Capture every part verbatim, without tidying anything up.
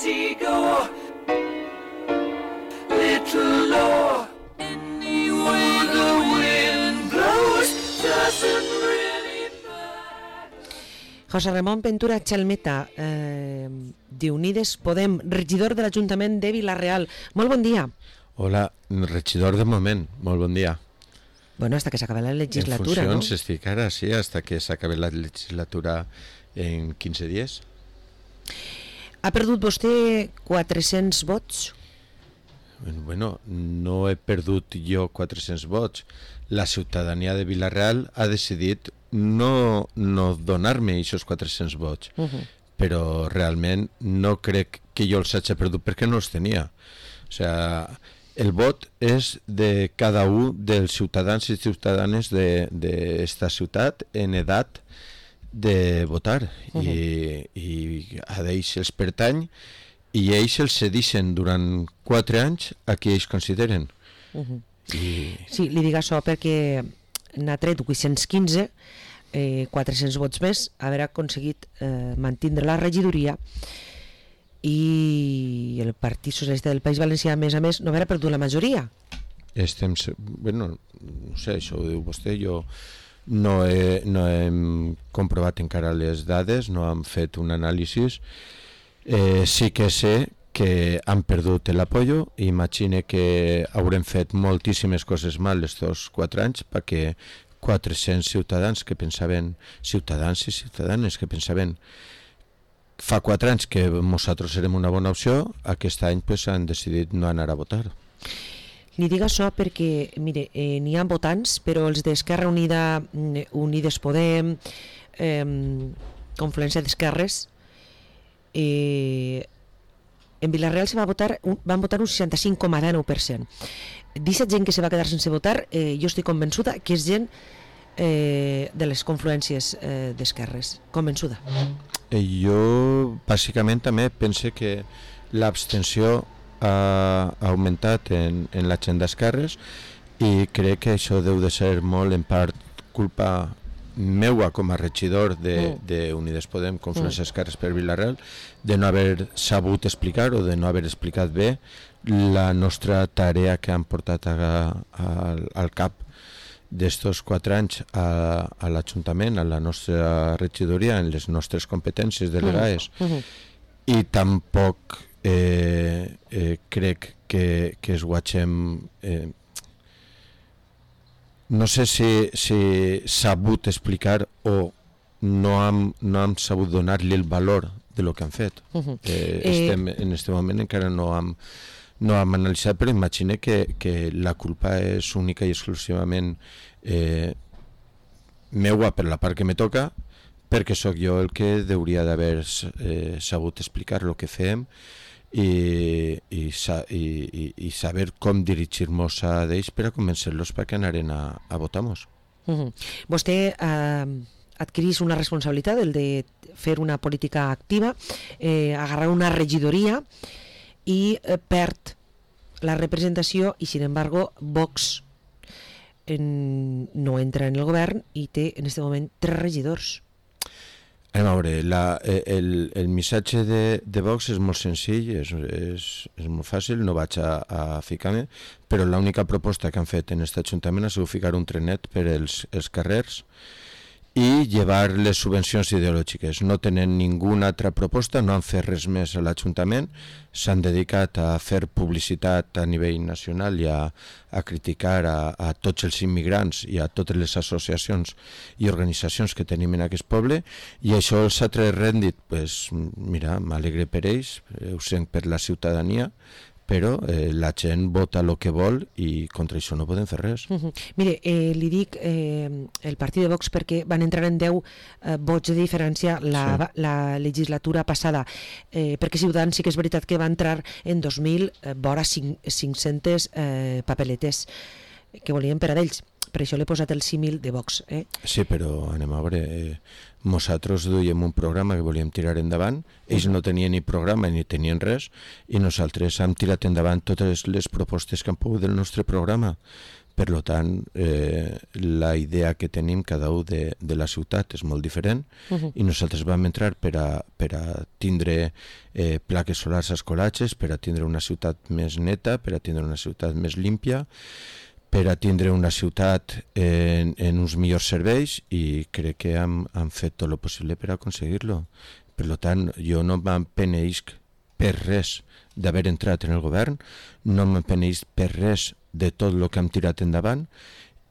easy go, little low. Any way the wind blows doesn't really matter. José Ramón Ventura Chalmeta, eh, de Unides Podem, regidor de l'Ajuntament de Vila-real. Molt bon dia. Hola, regidor de moment, molt bon dia. Bueno, hasta que s'acabe la legislatura, en ¿no? funcions estic ara, sí, hasta que s'acabe la legislatura en quinze dies. Ha perdut vostè quatre-cents vots? Bueno, no he perdut jo quatre-cents vots. La ciutadania de Vila-real ha decidit no, no donar-me aquests quatre-cents vots. Uh-huh. Però realment no crec que jo els hagi perdut perquè no els tenia. O sigui, el vot és de cada un dels ciutadans i ciutadanes d'esta ciutat en edat de votar. Uh-huh. I, i a ells els pertany i ells els cedixen durant quatre anys a qui ells consideren. Uh-huh. I... Sí, li dic això perquè n'ha tret vuit-cents quinze, eh, quatre-cents vots més, haver aconseguit eh, mantindre la regidoria, i el Partit Socialista del País Valencià, a més a més, no haver perdut la majoria. Estem... Bueno, no sé, això ho diu vostè, jo no he, no hem comprovat encara les dades, no hem fet un anàlisi. Eh, sí que sé que han perdut l'apoyo i imagine que haurem fet moltíssimes coses mal estos quatre anys perquè quatre-cents ciutadans que pensaven, ciutadans i ciutadanes que pensaven fa quatre anys que nosaltres serem una bona opció, aquest any pues, han decidit no anar a votar. Li dic això perquè, mire, eh, n'hi ha votants, però els d'Esquerra Unida, Unides Podem, eh, Confluència d'Esquerres, eh, en Vila-real se va votar, un, van votar un seixanta-cinc coma nou per cent. D'aquesta gent que se va quedar sense votar, eh, jo estic convençuda que és gent eh, de les confluències eh, d'esquerres, convençuda. Jo bàsicament també pense que l'abstenció ha augmentat en, en la gent d'esquerres i crec que això deu de ser molt en part culpa meua com a regidor d'Unides Podem, Confluència d'Esquerres per Vila-real, de no haver sabut explicar o de no haver explicat bé la nostra tarea que han portat a, a, al cap d'estos quatre anys a, a l'Ajuntament, a la nostra regidoria, en les nostres competències delegades. Uh-huh. I tampoc eh, eh, crec que, que es guatxem... Eh, no sé si, si sabut explicar o no hem, no hem sabut donar-li el valor de lo que han fet. Uh-huh. eh, estem, eh... En aquest moment encara no hem, no hem analitzat, però imagine que, que la culpa és única i exclusivament eh, meua per la part que me toca, perquè sóc jo el que hauria d'haver eh, sabut explicar el que fem i, i, i, i, i saber com dirigir-nos a ells per a convencer-los perquè anaren a, a votar-nos. Uh-huh. Vostè eh, adquirís una responsabilitat, el de fer una política activa, eh, agarrar una regidoria i eh, perd la representació i, sin embargo, Vox en, no entra en el govern i té en aquest moment tres regidors. Anem a veure, la, el, el missatge de, de Vox és molt senzill, és, és, és molt fàcil, no vaig a, a ficar-me, però l'única proposta que han fet en aquest Ajuntament ha sigut ficar un trenet per els, els carrers i llevar les subvencions ideològiques. No tenen ninguna altra proposta, no han fet res més a l'Ajuntament, s'han dedicat a fer publicitat a nivell nacional i a, a criticar a, a tots els immigrants i a totes les associacions i organitzacions que tenim en aquest poble, i això els ha tret rèndit. Pues, mira, m'alegre per ells, ho sent per la ciutadania, però eh, la gent vota el que vol i contra això no podem fer res. Uh-huh. Mire, eh, li dic eh, el partit de Vox perquè van entrar en deu eh, vots de diferència la, sí. la legislatura passada, eh, perquè Ciutadans sí que és veritat que va entrar en dos mil eh, vora cinc-centes eh, papeletes que volien per a d'ells. Per això l'he posat el símil de Vox. Eh? Sí, però anem a veure, eh, nosaltres duíem un programa que volíem tirar endavant, ells no tenien ni programa ni tenien res, i nosaltres hem tirat endavant totes les propostes que han pogut del nostre programa. Per lo tant, eh, la idea que tenim cada un de, de la ciutat és molt diferent Uh -huh. i nosaltres vam entrar per a, per a tindre eh, plaques solars als colatges, per a tindre una ciutat més neta, per a tindre una ciutat més límpia, per a tindre una ciutat en, en uns millors serveis, i crec que hem, hem fet tot el possible per aconseguir-lo. Per tant, jo no m'empenedisc per res d'haver entrat en el govern, no m'empenedisc per res de tot el que hem tirat endavant,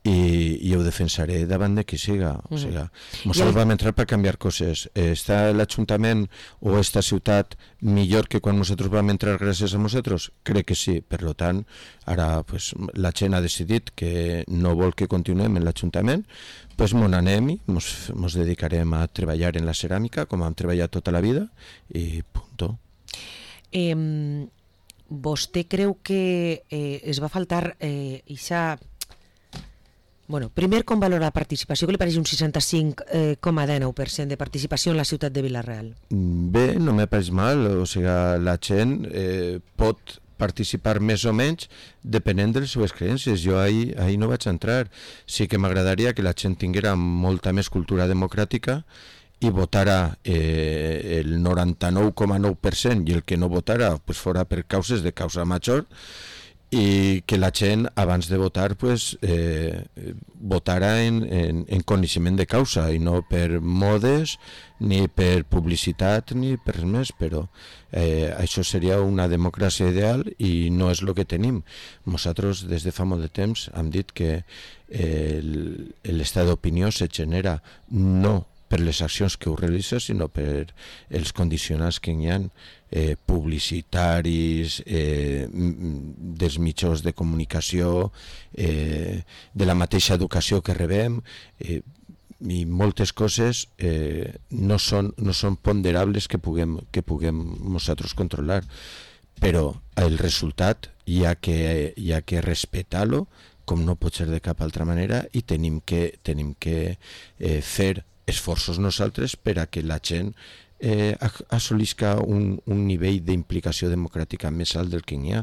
i, i ho defensaré davant de qui siga. O sigui, nosaltres vam entrar per canviar coses. Està l'Ajuntament o esta ciutat millor que quan nosaltres vam entrar gràcies a nosaltres? Crec que sí. Per tant, ara pues, la gent ha decidit que no vol que continuem en l'Ajuntament, pues mon anem i mos, mos dedicarem a treballar en la ceràmica com hem treballat tota la vida, i punto. Eh, vostè creu que eh, es va faltar eh, ixa... Bueno, primer, com valora la participació? Que li pareix un seixanta-cinc coma dinou per cent de participació en la ciutat de Vila-real? Bé, no me pareix mal. O sigui, la gent eh, pot participar més o menys depenent de les seves creences. Jo ahir, ahir no vaig entrar. Sí que m'agradaria que la gent tinguera molta més cultura democràtica i votara eh, el noranta-nou coma nou per cent, i el que no votara pues, fora per causes de causa major, i que la gent abans de votar pues, eh, votara en, en, en coneixement de causa i no per modes ni per publicitat ni per res més, però eh, això seria una democràcia ideal i no és el que tenim. Nosaltres des de fa molt de temps hem dit que eh, l'estat d'opinió se genera no per les accions que ho realitza, sinó per els condicionants que hi ha, eh, publicitaris, eh, dels mitjans de comunicació, eh, de la mateixa educació que rebem, eh, i moltes coses eh, no, són, no són ponderables que puguem, que puguem nosaltres controlar, però el resultat hi ha que, hi ha que respectar-lo com no pot ser de cap altra manera, i tenim que, tenim que eh, fer esforços nosaltres per a que la gent eh, assolisca un, un nivell d'implicació democràtica més alt del que hi ha.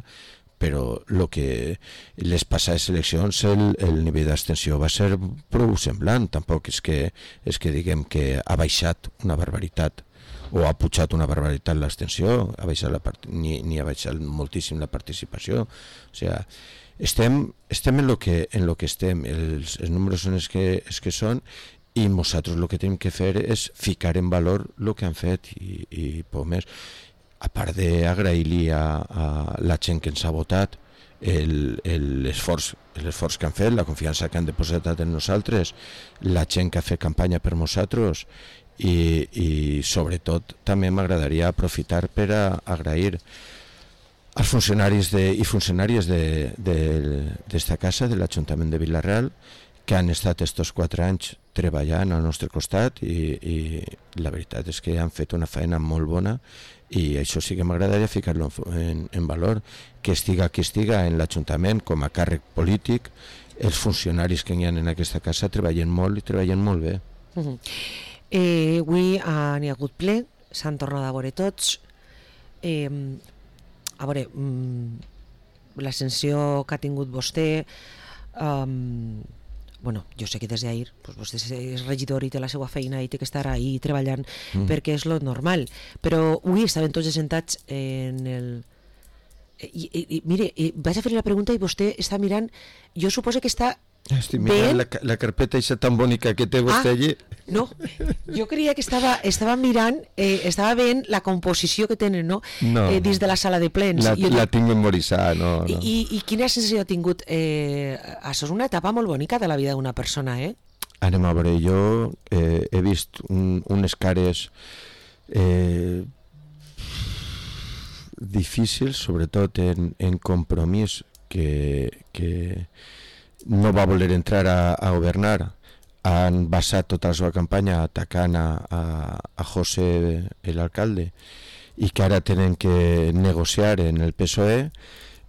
Però el que les passades eleccions, el, el nivell d'abstenció va ser prou semblant. Tampoc és que, és que diguem que ha baixat una barbaritat o ha pujat una barbaritat l'abstenció, ha baixat la part... ni, ni ha baixat moltíssim la participació. O sigui, estem, estem en lo que, en lo que estem, els, els números són els que, els que són, i nosaltres el que tenim que fer és ficar en valor el que han fet, i, i poc més. A part d'agrair-li a, a la gent que ens ha votat l'esforç l'esforç que han fet, la confiança que han depositat en nosaltres, la gent que ha fet campanya per nosaltres, i, i sobretot també m'agradaria aprofitar per a agrair als funcionaris de, i funcionàries d'esta de, casa, de l'Ajuntament de Vila-real, que han estat estos quatre anys treballant al nostre costat, i, i la veritat és que han fet una feina molt bona, i això sí que m'agradaria ficar-lo en, en valor, que estiga qui estiga en l'Ajuntament com a càrrec polític, els funcionaris que hi ha en aquesta casa treballen molt i treballen molt bé. Uh -huh. eh, avui uh, n'hi ha hagut ple, s'han tornat a veure tots. Eh, a veure, um, l'ascensió que ha tingut vostè... Um, bueno, jo sé que des d'ahir pues, vostè és regidor i té la seva feina i té que estar ahí treballant mm. perquè és lo normal, però avui estaven tots assentats en el... I, i, i mire, i vaig a fer la pregunta i vostè està mirant, jo suposo que està estic mirant la, la carpeta aquesta tan bonica que té vostè ah, allí. No, jo creia que estava, estava mirant, eh, estava veient la composició que tenen, no? No. Eh, dins de la sala de plens. La, jo, la tinc memoritzada, no, no. I, i quina sensació ha tingut? Eh, això és una etapa molt bonica de la vida d'una persona, eh? Anem a veure, jo eh, he vist un, unes cares eh, difícils, sobretot en, en compromís, que... que no va voler entrar a, a governar. Han basat tota la seva campanya atacant a, a, a José, l'alcalde, i que ara tenen que negociar en el P S O E,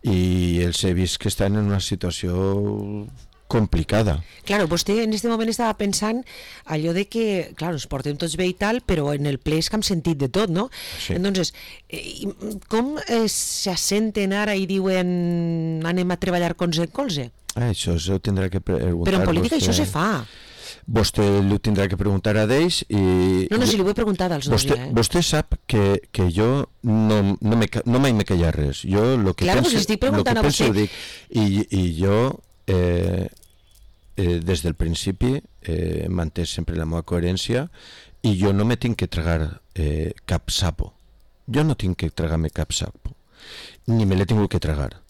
i els he vist que estan en una situació complicada. Claro, vostè en este moment estava pensant allò de que, claro, ens portem tots bé i tal, però en el ple és que hem sentit de tot, no? Sí. Entonces, eh, com eh, s'assenten ara i diuen anem a treballar colze en colze? Ah, això ho tindrà que preguntar. Però en política vostè. això se fa. Vostè li tindrà que preguntar a d'ells i... No, no, si li ho he preguntat als dos vostè, ja, eh? Vostè sap que, que jo no, no, me, no mai me callar res. Jo lo que Claro, pense, pues estic lo que preguntant a pense vostè. ho dic. I, i jo, eh, eh, des del principi, eh, he mantès sempre la meva coherència i jo no me tinc que tragar eh, cap sapo. Jo no tinc que tragar-me cap sapo. Ni me l'he tingut que tragar.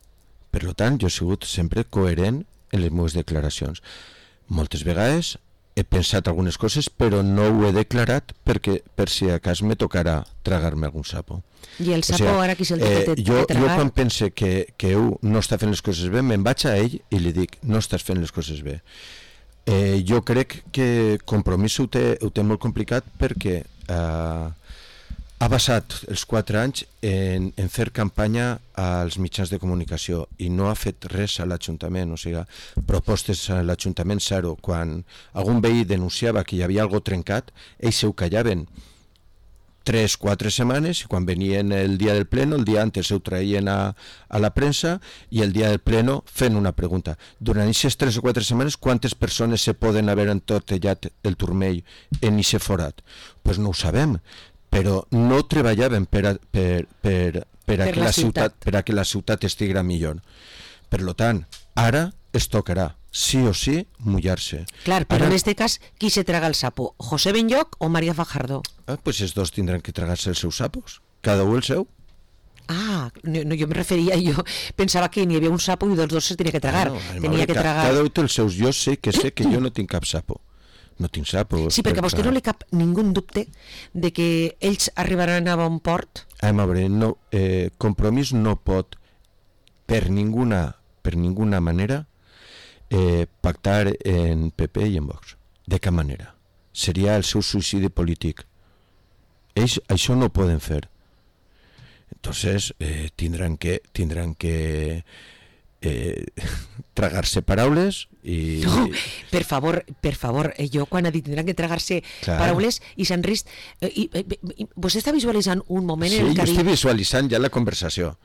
Per tant, jo he sigut sempre coherent en les meves declaracions. Moltes vegades he pensat algunes coses, però no ho he declarat perquè per si a cas me tocarà tragar-me algun sapo. I el O sapo sigui, ara qui se'l té eh, que jo, jo tragar? quan pense que, que ell no està fent les coses bé, me'n vaig a ell i li dic, no estàs fent les coses bé. Eh, jo crec que Compromís ho té, ho té molt complicat perquè eh, ha basat els quatre anys en, en fer campanya als mitjans de comunicació i no ha fet res a l'Ajuntament, o sigui, propostes a l'Ajuntament zero. Quan algun veí denunciava que hi havia algo trencat, ells ho callaven tres, quatre setmanes i quan venien el dia del pleno, el dia antes ho traien a, a la premsa i el dia del pleno fent una pregunta. Durant aquestes tres o quatre setmanes, quantes persones se poden haver entortellat el turmell en aquest forat? Doncs pues no ho sabem, però no treballaven per a, per, per, per, a Per que la la ciutat, ciutat. per a que la ciutat estigui millor. Per tant, ara es tocarà, sí o sí, mullar-se. Clar, però Ara, en este cas, qui se traga el sapo? ¿José Benlloc o María Fajardo? ah, pues els dos tindran que tragar-se els seus sapos, cada un el seu. Ah, no, no, jo me referia, jo pensava que n'hi havia un sapo i dels dos se tenia que tragar. Ah, no, tenia que ca- tragar... Cada un té els seus. Jo sé que sé que jo no tinc cap sapo. No tinc sapo. Sí, perquè a vostè no li cap ningú dubte de que ells arribaran a bon port? A veure, no, eh, Compromís no pot per ninguna, per ninguna manera eh, pactar en P P i en Vox. De cap manera. Seria el seu suïcidi polític. Ells això no ho poden fer. Entonces eh, tindran que tindran que eh, tragar-se paraules i... No, per favor, per favor, eh, jo quan ha dit tindran que tragar-se Clar. paraules i s'han rist... Eh, i, eh, i, vostè està visualitzant un moment Sí, en el jo que ha estic dit... visualitzant ja la conversació.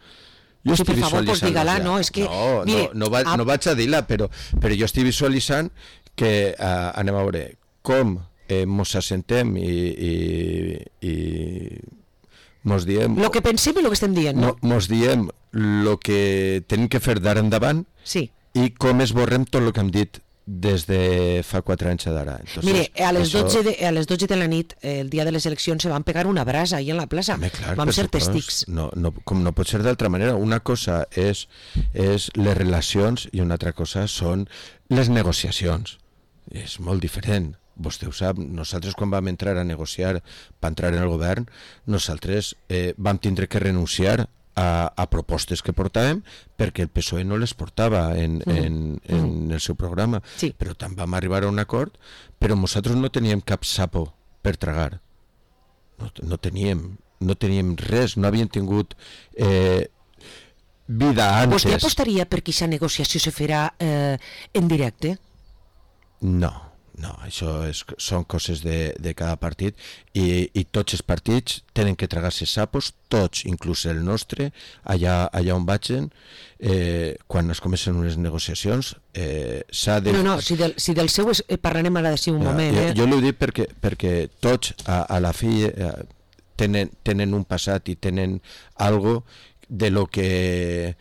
Jo Sí, estic per favor, pues visualitzant dígala, ja. no, és que, no, mire, no, no, va, a- no vaig a dir-la, però, però jo estic visualitzant que uh, anem a veure com eh, mos assentem i, i, i mos diem... Lo que pensem i lo que estem dient, no? mo- mos diem el que tenim que fer d'ara endavant Sí. i com esborrem tot el que hem dit des de fa quatre anys d'ara. Entonces, Mire, a les, això- dotze de, a les dotze de la nit, eh, el dia de les eleccions, se van pegar una brasa ahí en la plaça. Home, clar, Vam per ser supost. testics. No, no, com no pot ser d'altra manera. Una cosa és, és les relacions i una altra cosa són les negociacions. És molt diferent. Vostè ho sap, nosaltres quan vam entrar a negociar per entrar en el govern, nosaltres eh, vam tindre que renunciar a, a propostes que portàvem perquè el P S O E no les portava en, Mhm. en, en el seu programa. Sí. Però tant vam arribar a un acord, però nosaltres no teníem cap sapo per tragar. No, no teníem no teníem res, no havíem tingut eh, vida antes. Vostè apostaria per que aquesta negociació se farà eh, en directe? No, no, això és, són coses de, de cada partit i, i tots els partits tenen que tragar-se sapos, tots, inclús el nostre, allà, allà on vagin, eh, quan es comencen unes negociacions, eh, s'ha de... No, no, si del, si del seu és, eh, parlarem ara d'ací un Ja, moment, jo, eh? jo l'ho dic perquè, perquè tots a, a la fi eh, tenen, tenen un passat i tenen algo de lo que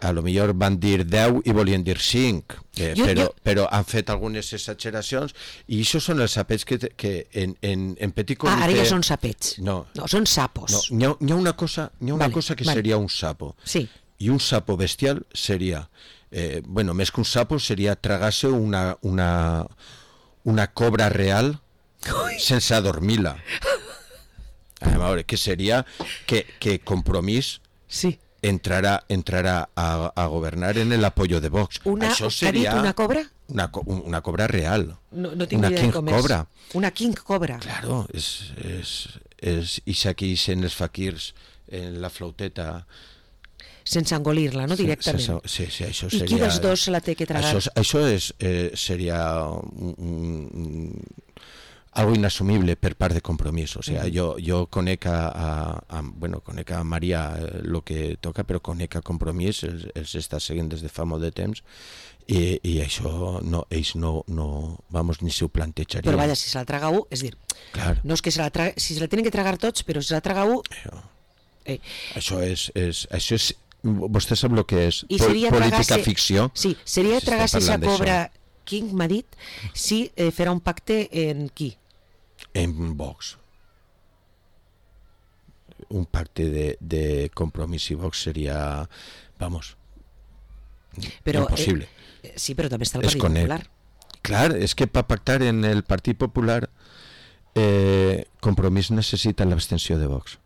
a lo millor van dir deu i volien dir cinc, eh, Jo- però, jo- però han fet algunes exageracions i això són els sapets que, te- que en, en, en petit Ah, comitè... ara ja són sapets. No, No, són sapos. no n'hi ha, n'hi ha una cosa, n'hi ha una Vale, cosa que vale. seria un sapo. Sí. I un sapo bestial seria, eh, bueno, més que un sapo seria tragar-se una, una, una cobra real sense adormir-la. A veure, que seria que, que Compromís Sí. entrarà, entrarà a, a governar en el apoyo de Vox. Una, Això què ha dit, seria una cobra? una, co- un- una cobra real. No, no tinc una idea king de com és. cobra. Una king cobra. Claro, és, és, és ixa que ixen els faquirs en la flauteta. Sense engolir-la, no? Directament. Se- se- Sí, sí, això I seria... qui dels dos se la té que tragar? Això, això és, eh, seria un, un, algo inasumible per part de Compromís. O sea, jo, jo conec a, a, a, bueno, conec a Maria el que toca, però conec a Compromís, els, els està seguint des de fa molt de temps, i, i això no, ells no, no, vamos, ni s'ho plantejarien. Però vaja, si se la traga u, és dir, Clar. no és que se la traga, si se la tenen que tragar tots, però si se la traga u... Això, Eh, això és, és, això és, vostè sap el que és I pol, seria política tragar-se- ficció? Sí, seria S'està tragar-se esa parlant d'això. cobra, King m'ha dit, si eh, farà un pacte en qui? En Vox. Un pacte de, de Compromís i Vox seria, vamos, Però, impossible. Eh, sí, però també està el Es Partit conec. Popular. Clar, és que per pactar en el Partit Popular eh, Compromís necessita l'abstenció de Vox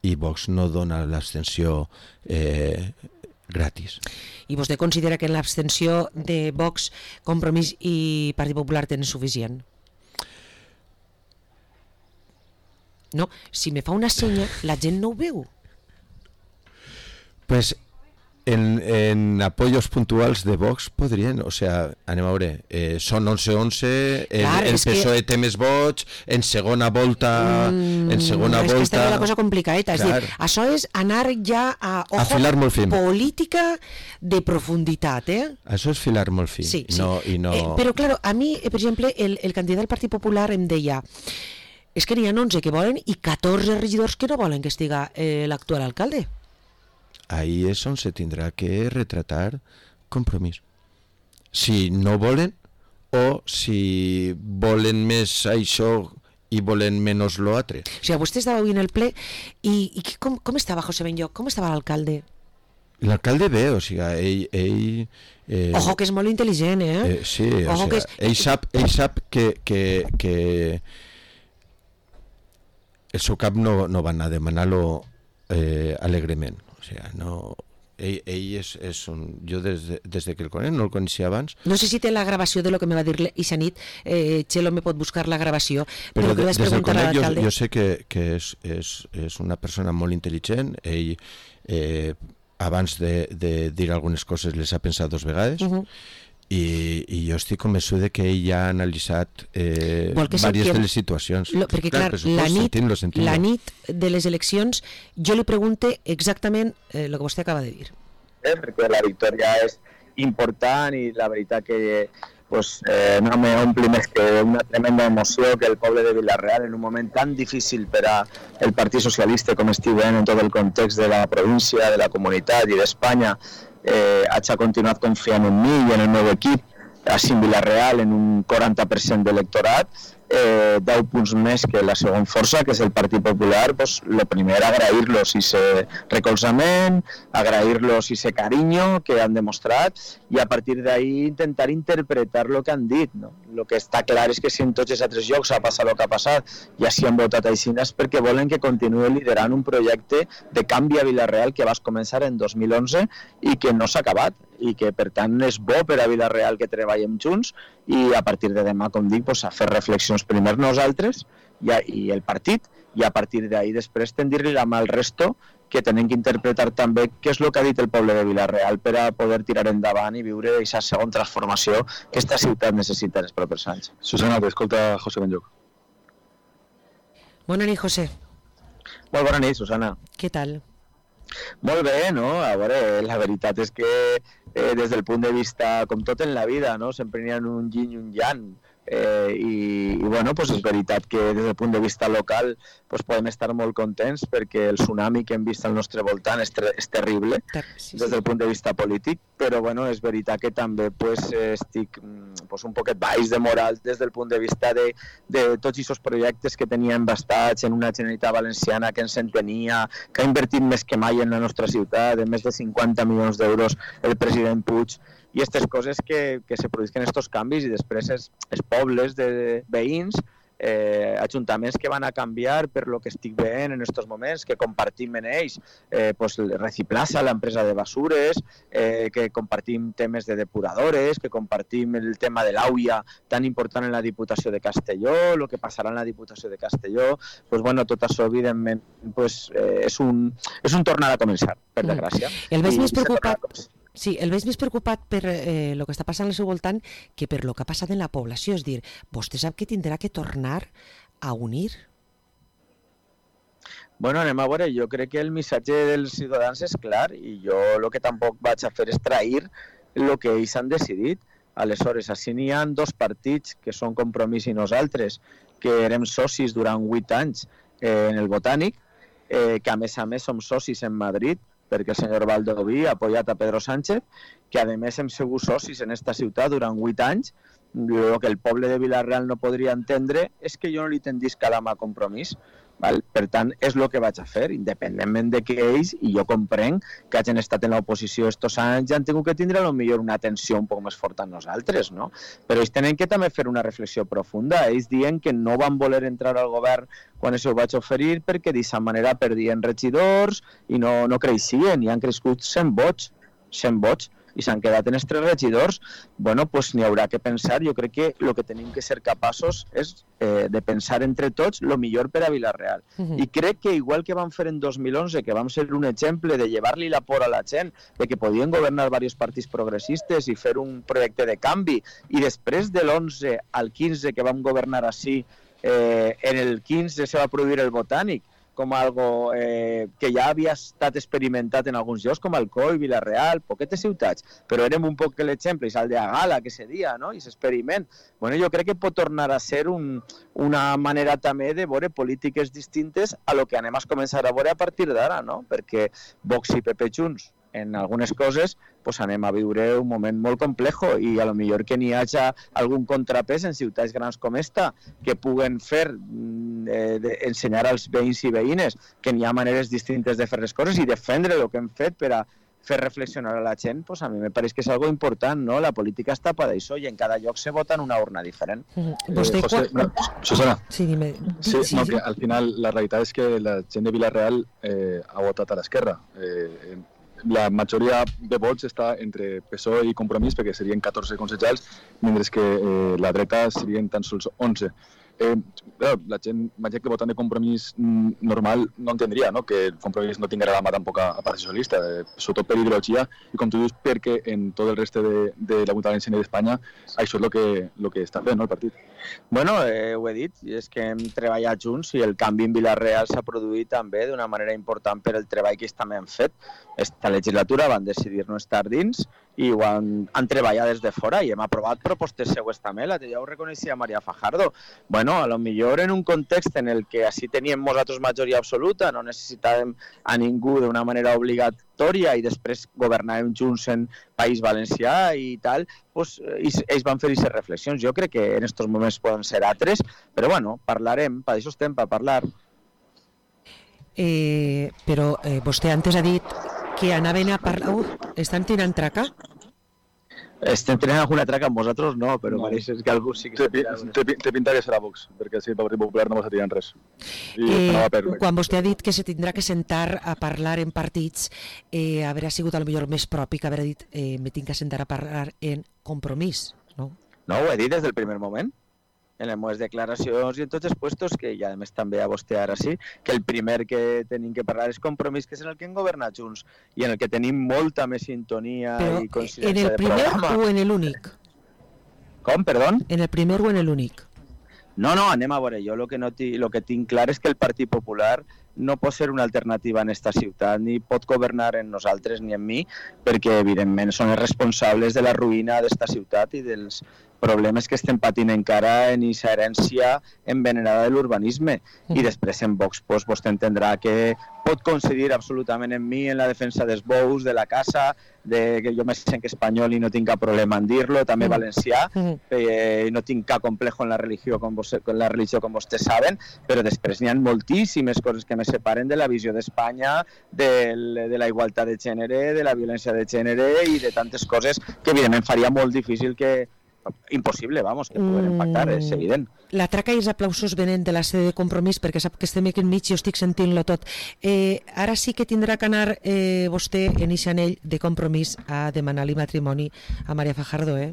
i Vox no dona l'abstenció eh, gratis. I vostè considera que en l'abstenció de Vox, Compromís i Partit Popular tenen suficient? No, si me fa una senya, la gent no ho veu. Pues en, en apoyos puntuals de Vox podrien, o sea, anem a veure, eh, són onze onze, el, Clar, el és P S O E que- té més vots, en segona volta, Mm, en segona és que està volta... la cosa complicadeta, és Clar. dir, això és anar ja a, ojo, A filar molt fin. política de profunditat, eh? Això és filar molt fi. Sí, sí. No, i no... Eh, però, claro, a mi, eh, per exemple, el, el candidat del Partit Popular em deia és que n'hi ha onze que volen i catorze regidors que no volen que estiga eh, l'actual alcalde. Ahí és on se tindrà que retratar Compromís. Si no volen o si volen més això i volen menys l'altre. O sigui, vostè estava avui en el ple i, i qui- com, com estava José Benlloc? Com estava l'alcalde? L'alcalde ve, o sigui, ell... ell eh, Ojo, que és molt intel·ligent, eh? eh, sí, o Ojo, sigui, que és- ell sap, ell sap que, que, que el seu cap no, no va anar a demanar-lo eh, alegrement. O sigui, no... Ell, ell és, és un... Jo des de, des de que el conec, no el coneixia abans, No sé si té la gravació de lo que me va dir aquesta nit. Eh, Xelo me pot buscar la gravació, però, però que de, vaig des del preguntar a conec jo, l'alcalde. jo sé que, que és, és, és una persona molt intel·ligent. Ell, eh, abans de, de dir algunes coses, les ha pensat dos vegades. Uh -huh. I, i jo estic convençut de que ell ja ha analitzat eh, Vol que diverses sapiguem- de les situacions. Lo, perquè, clar, per la, supost, nit, sentim-lo, sentim-lo. la nit de les eleccions jo li pregunte exactament el eh, que vostè acaba de dir. eh, perquè la victòria és important i la veritat que pues, eh, no m'ompli més que una tremenda emoció que el poble de Vila-real en un moment tan difícil per a el Partit Socialista com estic veient en tot el context de la província, de la comunitat i d'Espanya, eh, hagi continuat confiant en mi i en el meu equip, així en Vila-real en un quaranta per cent d'electorat, eh, deu punts més que la segona força, que és el Partit Popular. Pues, lo primer, agrair-los ese recolzament, agrair-los ese cariño que han demostrat i a partir d'ahí intentar interpretar lo que han dit. No? Lo que està clar és que si en tots els altres llocs ha passat el que ha passat i així han votat així és perquè volen que continuï liderant un projecte de canvi a Vila-real que vas començar en dos mil onze i que no s'ha acabat i que per tant és bo per a Vila-real que treballem junts i a partir de demà, com dic, pues, a fer reflexions primer nosaltres i, a, i el partit i a partir d'ahí després tendir-li la mà al resto que tenen que interpretar també què és el que ha dit el poble de Vila-real per a poder tirar endavant i viure aquesta segona transformació que esta ciutat necessita en els propers anys. Susana, t'escolta José Benlloc. Bona nit, José. Molt bona nit, Susana. Què tal? Molt bé, no? A veure, la veritat és que eh, des del punt de vista, com tot en la vida, no? Sempre n'hi ha un yin i un yang. Eh, i, i bueno, pues és veritat que des del punt de vista local pues podem estar molt contents perquè el tsunami que hem vist al nostre voltant és, ter és terrible Sí, des del punt de vista polític, però bueno, és veritat que també pues, estic pues, un poquet baix de moral des del punt de vista de, de tots aquests projectes que teníem bastats en una Generalitat Valenciana que ens entenia, que ha invertit més que mai en la nostra ciutat, de més de cinquanta milions d'euros el president Puig, i aquestes coses que, que se produïsquen estos canvis i després els, els pobles de veïns, eh, ajuntaments que van a canviar per lo que estic veient en aquests moments, que compartim en ells eh, pues, Reciplaza, l'empresa de basures, eh, que compartim temes de depuradores, que compartim el tema de l'Auia tan important en la Diputació de Castelló, el que passarà en la Diputació de Castelló, pues, bueno, tot això evidentment pues, eh, és, un, és un tornar a començar, per desgràcia. El veig I més preocupat... Sí, el veig més preocupat per eh, el que està passant al seu voltant que per el que ha passat en la població. És dir, vostè sap que tindrà que tornar a unir? Bueno, anem a veure, jo crec que el missatge dels ciutadans és clar i jo el que tampoc vaig a fer és trair el que ells han decidit. Aleshores, així n'hi ha dos partits que són Compromís i nosaltres, que érem socis durant vuit anys eh, en el Botànic, eh, que a més a més som socis en Madrid, perquè el senyor Baldoví ha apoyat a Pedro Sánchez, que a més hem sigut socis en esta ciutat durant vuit anys. El que el poble de Vila-real no podria entendre és que jo no li tendís cada mà a Compromís. Val? Per tant, és el que vaig a fer, independentment de que ells, i jo comprenc que hagin estat en l'oposició estos anys, ja han tingut que tindre potser una atenció un poc més forta a nosaltres, no? Però ells tenen que també fer una reflexió profunda. Ells diuen que no van voler entrar al govern quan això ho vaig oferir perquè d'aquesta manera perdien regidors i no, no creixien, i han crescut cent vots, cent vots, i s'han quedat en els tres regidors. Bueno, doncs n'hi haurà que pensar. Jo crec que el que tenim que ser capaços és eh, de pensar entre tots el millor per a Vila-real. Uh-huh. I crec que igual que vam fer en dos mil onze, que vam ser un exemple de llevar-li la por a la gent, de que podien governar diversos partits progressistes i fer un projecte de canvi, i després de l'onze al quinze que vam governar així, eh, en el quinze se va produir el Botànic, com algo eh, que ja havia estat experimentat en alguns llocs, com Alcoi, Vila-real, poquetes ciutats, però érem un poc l'exemple, i el de Gala, que se dia, no? I s'experiment. Bueno, jo crec que pot tornar a ser un, una manera també de veure polítiques distintes a lo que anem a començar a veure a partir d'ara, no? Perquè Vox i P P Junts, en algunes coses, pues anem a viure un moment molt complejo i a lo millor que n'hi hagi algun contrapès en ciutats grans com esta que puguen fer, eh, de, ensenyar als veïns i veïnes que n'hi ha maneres distintes de fer les coses i defendre el que hem fet per a fer reflexionar a la gent, pues a mi me pareix que és algo important, no? La política està per això i en cada lloc se vota en una urna diferent. Mm-hmm. Vostè, eh, José, quan... no, Susana. Sí, dime. Sí, sí, no, sí. que al final la realitat és que la gent de Vila-real eh, ha votat a l'esquerra. Eh, la majoria de vots està entre P S O E i Compromís, perquè serien catorze consellers, mentre que eh, la dreta serien tan sols onze. Eh, la gent, la gent que voten de Compromís normal no entendria, no? Que el Compromís no tinguera la mà tampoc a, a Partit Socialista, eh, sobretot per ideologia, i com tu dius, perquè en tot el reste de, de la Comunitat Valenciana d'Espanya això és el que, lo que està fent, no, el partit. Bueno, eh, ho he dit, i és que hem treballat junts i el canvi en Vila-real s'ha produït també d'una manera important per el treball que ells també han fet. Esta legislatura van decidir no estar dins i ho han, han treballat des de fora i hem aprovat propostes seues també, la que ja ho reconeixia Maria Fajardo. Bueno, a lo millor en un context en el que així teníem nosaltres majoria absoluta, no necessitàvem a ningú d'una manera obligatòria i després governàvem junts en País Valencià i tal, pues, ells van fer aquestes reflexions. Jo crec que en aquests moments poden ser altres, però bueno, parlarem, per això estem, per parlar. Eh, però eh, vostè antes ha dit que anaven a parlar... Uh, estan tirant traca? Estem tenint alguna traca amb vosaltres, no, però no. Pareix que algú sí que... Té, té, té pinta que serà Vox, perquè si el Partit Popular no va tirant res. I eh, no va perdre. Quan vostè ha dit que se tindrà que sentar a parlar en partits, eh, haurà sigut al millor més propi que haver dit eh, me tinc que sentar a parlar en Compromís, no? No, ho he dit des del primer moment. En les meves declaracions i en tots els puestos, que ja a més també a vostè ara sí, que el primer que tenim que parlar és Compromís, que és en el que hem governat junts i en el que tenim molta més sintonia però i coincidència de programa. ¿En el primer o en el únic? Com, perdó? En el primer o en el únic? No, no, anem a veure. Jo el que, no lo que tinc clar és que el Partit Popular no pot ser una alternativa en esta ciutat, ni pot governar en nosaltres ni en mi, perquè evidentment són els responsables de la ruïna d'esta ciutat i dels problemes que estem patint encara en aquesta herència envenenada de l'urbanisme. I després en Vox pues, vostè entendrà que pot coincidir absolutament en mi en la defensa dels bous, de la casa, de que jo me sent espanyol i no tinc cap problema en dir-lo, també valencià, eh, no tinc cap complejo en la religió com, vos, en la religió com vostès saben, però després n'hi ha moltíssimes coses que me separen de la visió d'Espanya, de, de la igualtat de gènere, de la violència de gènere i de tantes coses que evidentment faria molt difícil que impossible, vamos, que poden impactar, és evident. La traca i els aplausos venen de la sede de Compromís perquè sap que estem aquí enmig i jo estic sentint-lo tot. Eh, ara sí que tindrà que anar eh, vostè en aquest anell de Compromís a demanar-li matrimoni a Maria Fajardo, eh?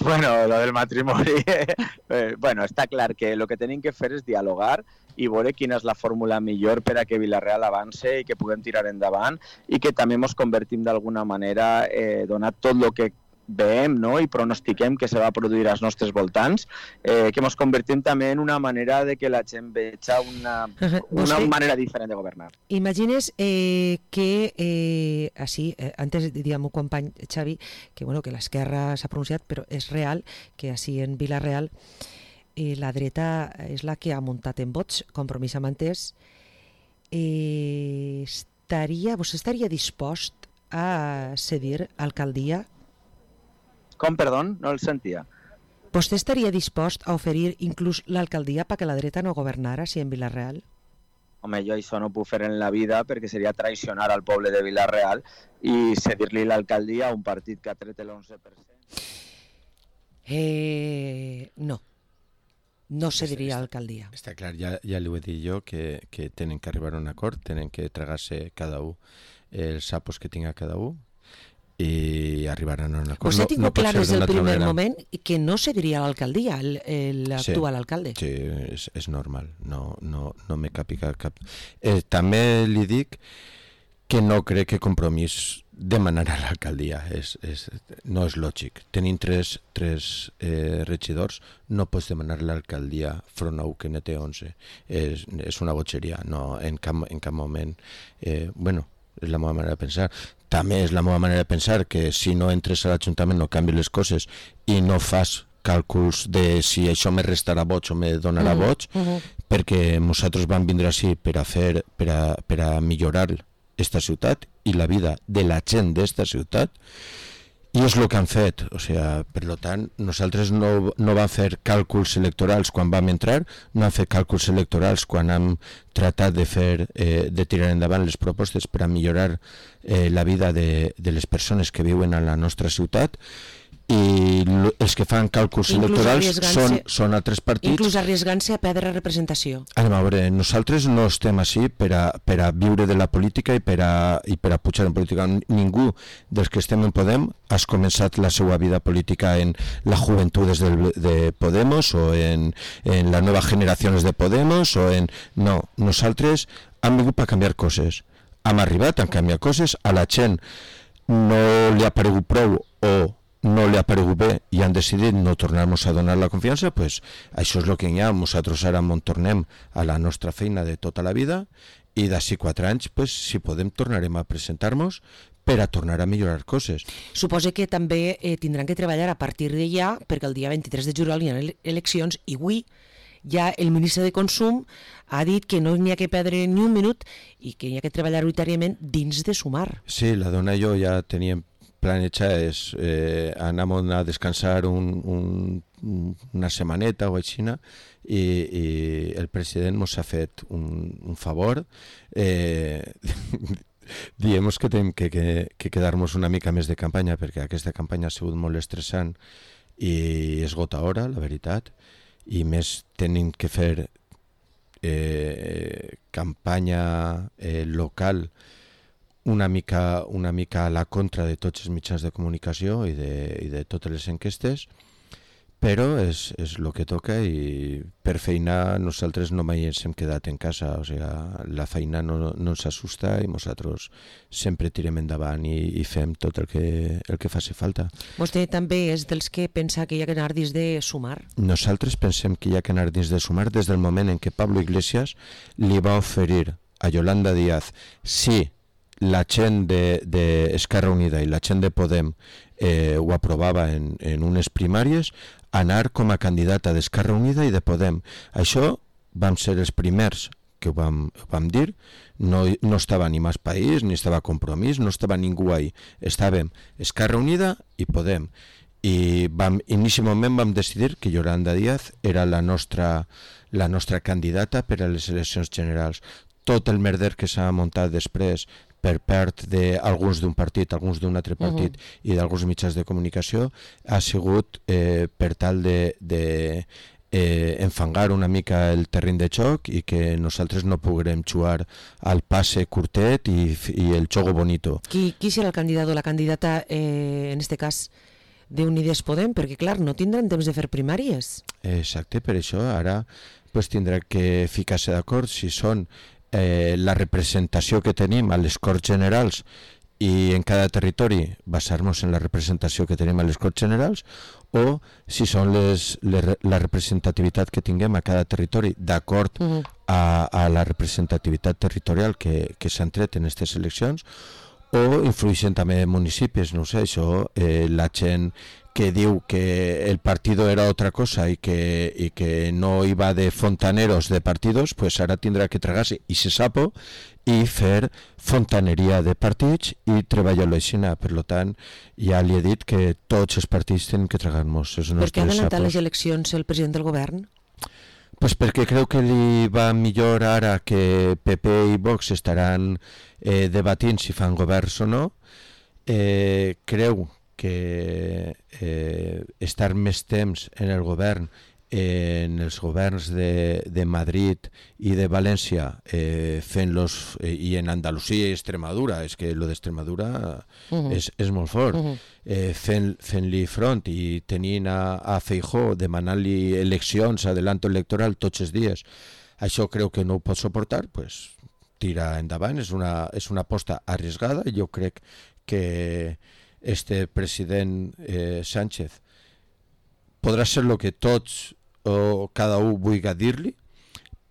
Bueno, lo del matrimoni... eh, bueno, està clar que el que tenim que fer és dialogar i veure quina és la fórmula millor per a que Vila-real avance i que puguem tirar endavant i que també ens convertim d'alguna manera, eh, donat tot el que veiem, no? I pronostiquem que se va produir als nostres voltants, eh, que ens convertim també en una manera de que la gent veja una, una Vostè- manera diferent de governar. Imagines eh, que, eh, así, eh, antes diríem un company Xavi, que bueno, que l'esquerra s'ha pronunciat, però és real que així en Vila-real eh, la dreta és la que ha muntat en vots, Compromís amb Entès. Eh, estaria, vostè estaria dispost a cedir alcaldia? Com, perdó? No el sentia. Vostè estaria dispost a oferir inclús l'alcaldia perquè la dreta no governara si en Vila-real? Home, jo això no puc fer en la vida perquè seria traicionar al poble de Vila-real i cedir-li l'alcaldia a un partit que ha tret l'onze per cent. Eh, no. No cediria l'alcaldia. Està clar, ja, ja li ho he dit jo, que, que tenen que arribar a un acord, tenen que tragar-se cada un els sapos que tinga cada un i arribaran a un acord. Vostè ha tingut pot clar ser des del d'una altra primer manera. moment que no cediria l'alcaldia, el- el- l'actual Sí. alcalde. Sí, és, és normal, no, no, no me capica cap... Eh, també li dic que no crec que Compromís demanarà l'alcaldia, és, és, no és lògic. Tenint tres, tres eh, regidors, no pots demanar l'alcaldia front a un que ne té onze. És, és una botxeria, no, en cap, en cap moment... Eh, bueno, és la meva manera de pensar. També és la meva manera de pensar que si no entres a l'Ajuntament no canvi les coses i no fas càlculs de si això me restarà vots o me donarà Mm, vots, mhm. perquè nosaltres vam vindre així per a fer, per a, per a millorar esta ciutat i la vida de la gent d'esta ciutat, i és el que han fet. O sea, per lo tant, nosaltres no, no vam fer càlculs electorals quan vam entrar, no hem fet càlculs electorals quan hem tratat de fer, eh, de tirar endavant les propostes per a millorar eh, la vida de, de les persones que viuen a la nostra ciutat, i lo- els que fan càlculs Inclús electorals arriesgant-se- són, són altres partits. Inclús arriesgant-se a perdre representació. Anem a veure, nosaltres no estem així per a, per a viure de la política i per a, i per a pujar en política. Ningú dels que estem en Podem has començat la seva vida política en la juventudes del, de Podemos o en, en les noves generacions de Podemos o en... No, nosaltres hem vingut per canviar coses. Hem arribat a canviar coses, a la gent no li ha paregut prou o no li ha paregut bé i han decidit no tornar-nos a donar la confiança, pues això és el que hi ha. Nosaltres ara ens tornem a la nostra feina de tota la vida i d'ací quatre anys, pues, si podem, tornarem a presentar-nos per a tornar a millorar coses. Suposa que també eh, tindran que treballar a partir de ja, perquè el dia vint-i-tres de juliol hi ha ele- eleccions i avui ja el ministre de Consum ha dit que no n'hi ha que perdre ni un minut i que hi ha que treballar unitàriament dins de Sumar. Sí, la dona i jo ja teníem planejades eh, anar a descansar un, un, una setmaneta o així, i, i el president ens ha fet un, un favor, eh, diem que tenim que, que, que quedar-nos una mica més de campanya, perquè aquesta campanya ha sigut molt estressant i esgotadora, la veritat, i més tenim que fer eh, campanya eh, local una mica, una mica a la contra de tots els mitjans de comunicació i de, i de totes les enquestes, però és, és el que toca, i per feina nosaltres no mai ens hem quedat en casa. O sigui, la feina no, no ens assusta i nosaltres sempre tirem endavant i, i fem tot el que, el que faci falta. Vostè també és dels que pensa que hi ha que anar dins de Sumar? Nosaltres pensem que hi ha que anar dins de Sumar des del moment en què Pablo Iglesias li va oferir a Yolanda Díaz, si la gent d'Esquerra Unida i la gent de Podem eh, ho aprovava en, en unes primàries, anar com a candidata d'Esquerra Unida i de Podem. Això vam ser els primers que ho vam, ho vam dir. No, no estava ni Mas País, ni estava Compromís, no estava ningú ahí. Estàvem Esquerra Unida i Podem. I vam, inicialment vam decidir que Yolanda Díaz era la nostra, la nostra candidata per a les eleccions generals. Tot el merder que s'ha muntat després per part d'alguns d'un partit, alguns d'un altre partit uh-huh. i d'alguns mitjans de comunicació ha sigut eh, per tal de, de eh, enfangar una mica el terreny de joc i que nosaltres no puguem jugar al passe curtet i, i el xogo bonito. Qui, qui serà el candidat o la candidata, eh, en este cas, d'Unides Podem, perquè clar, no tindran temps de fer primàries. Exacte, per això ara pues, tindrà que ficar-se d'acord si són eh, la representació que tenim a les Corts Generals i en cada territori basar-nos en la representació que tenim a les Corts Generals o si són les, les, la representativitat que tinguem a cada territori d'acord uh -huh. a, a la representativitat territorial que, que s'han tret en aquestes eleccions o influeixen també municipis, no sé, això, eh, la gent que diu que el partido era otra cosa y que, y que no iba de fontaneros de partidos, pues ara tindrà que tragar-se i se sapo i fer fontaneria de partits i treballar-lo així. Per tant, ja li he dit que tots els partits tenen que tragar-nos els nostres sapos. Per què ha adelantat les eleccions el president del govern? Pues perquè creu que li va millor ara que P P i Vox estaran eh, debatint si fan governs o no. Eh, creu que eh, estar més temps en el govern, eh, en els governs de, de Madrid i de València, eh, fent-los, eh, i en Andalusia i Extremadura, és que lo d'Extremadura uh-huh. és, és molt fort, uh-huh. eh, fent, fent-li front i tenint a, a Feijóo demanant-li eleccions, adelanto electoral tots els dies, això creu que no ho pot suportar, pues tira endavant, és una, és una aposta arriesgada, jo crec que este president eh, Sánchez podrà ser el que tots o cada un vulgui dir-li,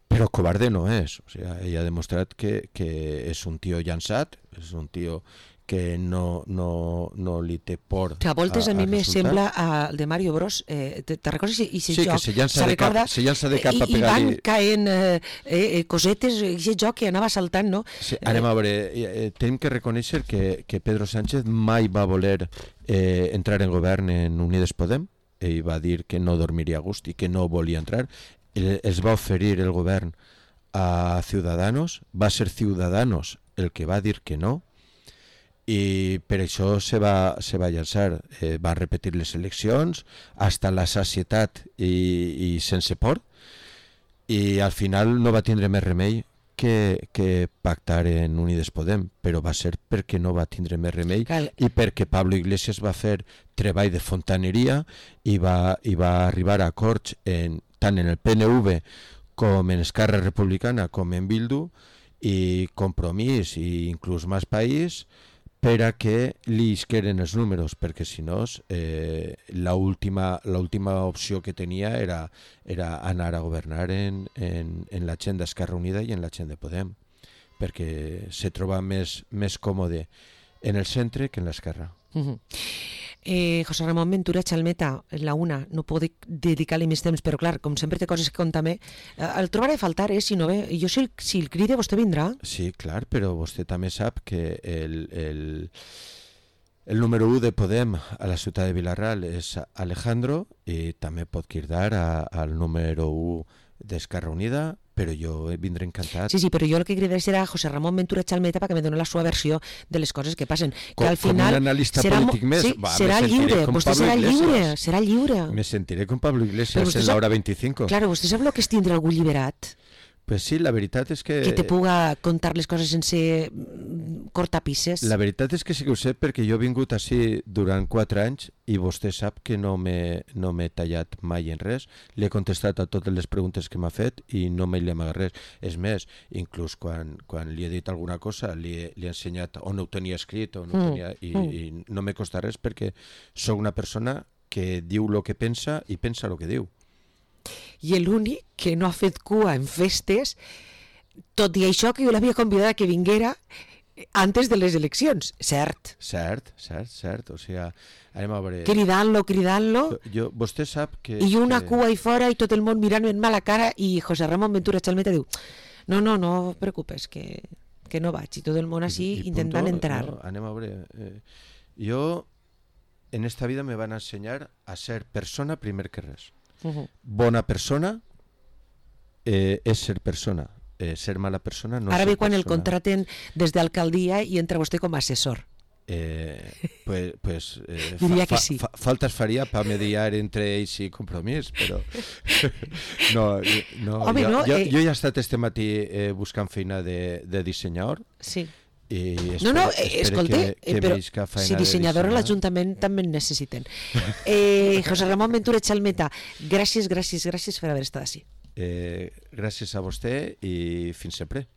però covarde no és. O sigui, ell ha demostrat que, que és un tio llançat, és un tio que no, no, no li té por a, a voltes a, a mi me resultar. Sembla al de Mario Bros. Eh, te, te recordes? I sí, joc, que se llança, de cap, se llança de cap i, a pegar-li. I van caent eh, eh, cosetes, aquest joc que anava saltant, no? Sí, anem a veure, eh, tenim que reconèixer que, que Pedro Sánchez mai va voler eh, entrar en govern en Unides Podem. Ell va dir que no dormiria a gust i que no volia entrar. El, es va oferir el govern a Ciudadanos, va ser Ciudadanos el que va dir que no, i per això se va, se va llançar, eh, va repetir les eleccions hasta la sacietat i, i sense por, i al final no va tindre més remei que, que pactar en Unides Podem, però va ser perquè no va tindre més remei Cal... i perquè Pablo Iglesias va fer treball de fontaneria i va, i va arribar a acords en, tant en el P N V com en Esquerra Republicana com en Bildu i Compromís i inclús Más País per a que li isqueren els números, perquè si no eh, l'última opció que tenia era, era anar a governar en, en, en la gent d'Esquerra Unida i en la gent de Podem, perquè se troba més, més còmode en el centre que en l'esquerra. Uh-huh. Eh, José Ramón Ventura Chalmeta, la una, no puc dedicar-li més temps, però clar, com sempre té coses que contar-me, eh, el trobaré a faltar, eh, si no ve. Jo si el, si el cride, vostè vindrà? Sí, clar, però vostè també sap que el, el, el número u de Podem a la ciutat de Vilarreal és Alejandro i també pot cridar a, al número u d'Esquerra Unida, però jo vindré encantat. Sí, sí, però jo el que cridaré serà José Ramón Ventura Chalmeta perquè me doni la seva versió de les coses que passen. Com, que al final com un analista serà, polític més. Sí, Va, serà lliure, vostè Pablo serà Iglesias. lliure, serà lliure. Me sentiré con Pablo Iglesias en la hora veinticinco. Claro, vostè sap el que és tindre algú alliberat? Pues sí, la veritat és que... Que te puga contar les coses sense cortapisses. La veritat és que sí que ho sé perquè jo he vingut així durant quatre anys i vostè sap que no m'he no m'he tallat mai en res. Li he contestat a totes les preguntes que m'ha fet i no m'he amagat res. És més, inclús quan, quan li he dit alguna cosa li he, li he ensenyat on ho tenia escrit on ho mm. tenia, i, mm. i no me costa res perquè sóc una persona que diu el que pensa i pensa el que diu. I l'únic que no ha fet cua en festes, tot i això que jo l'havia convidat a que vinguera antes de les eleccions, cert. Cert, cert, cert, o sigui, anem a veure... Cridant-lo, cridant-lo, jo, jo, vostè sap que... i una que... cua ahí fora i tot el món mirant-me en mala cara i José Ramón Ventura Chalmeta diu no, no, no et preocupes, que, que no vaig, i tot el món així I, i intentant punto, entrar. No, anem a veure... Eh, jo, en esta vida me van a ensenyar a ser persona primer que res. Uh-huh. Bona persona eh, és ser persona, eh, ser mala persona no Ara és ve quan persona. el contraten des d'alcaldia i entra vostè com a assessor. Eh, pues, pues, eh, Diria fa, que sí. fa, faltes faria per mediar entre ells i Compromís, però no, no, Home, jo, no, jo, eh... jo ja he estat este matí eh, buscant feina de, de dissenyador Sí. I No, no, espero- eh, espero escolta, que, que eh, però visca feina si de dissenyador a dissenyar. l'Ajuntament també en necessiten. Eh, José Ramon Ventura Chalmeta, gràcies, gràcies, gràcies per haver estat així. Eh, gràcies a vostè i fins sempre.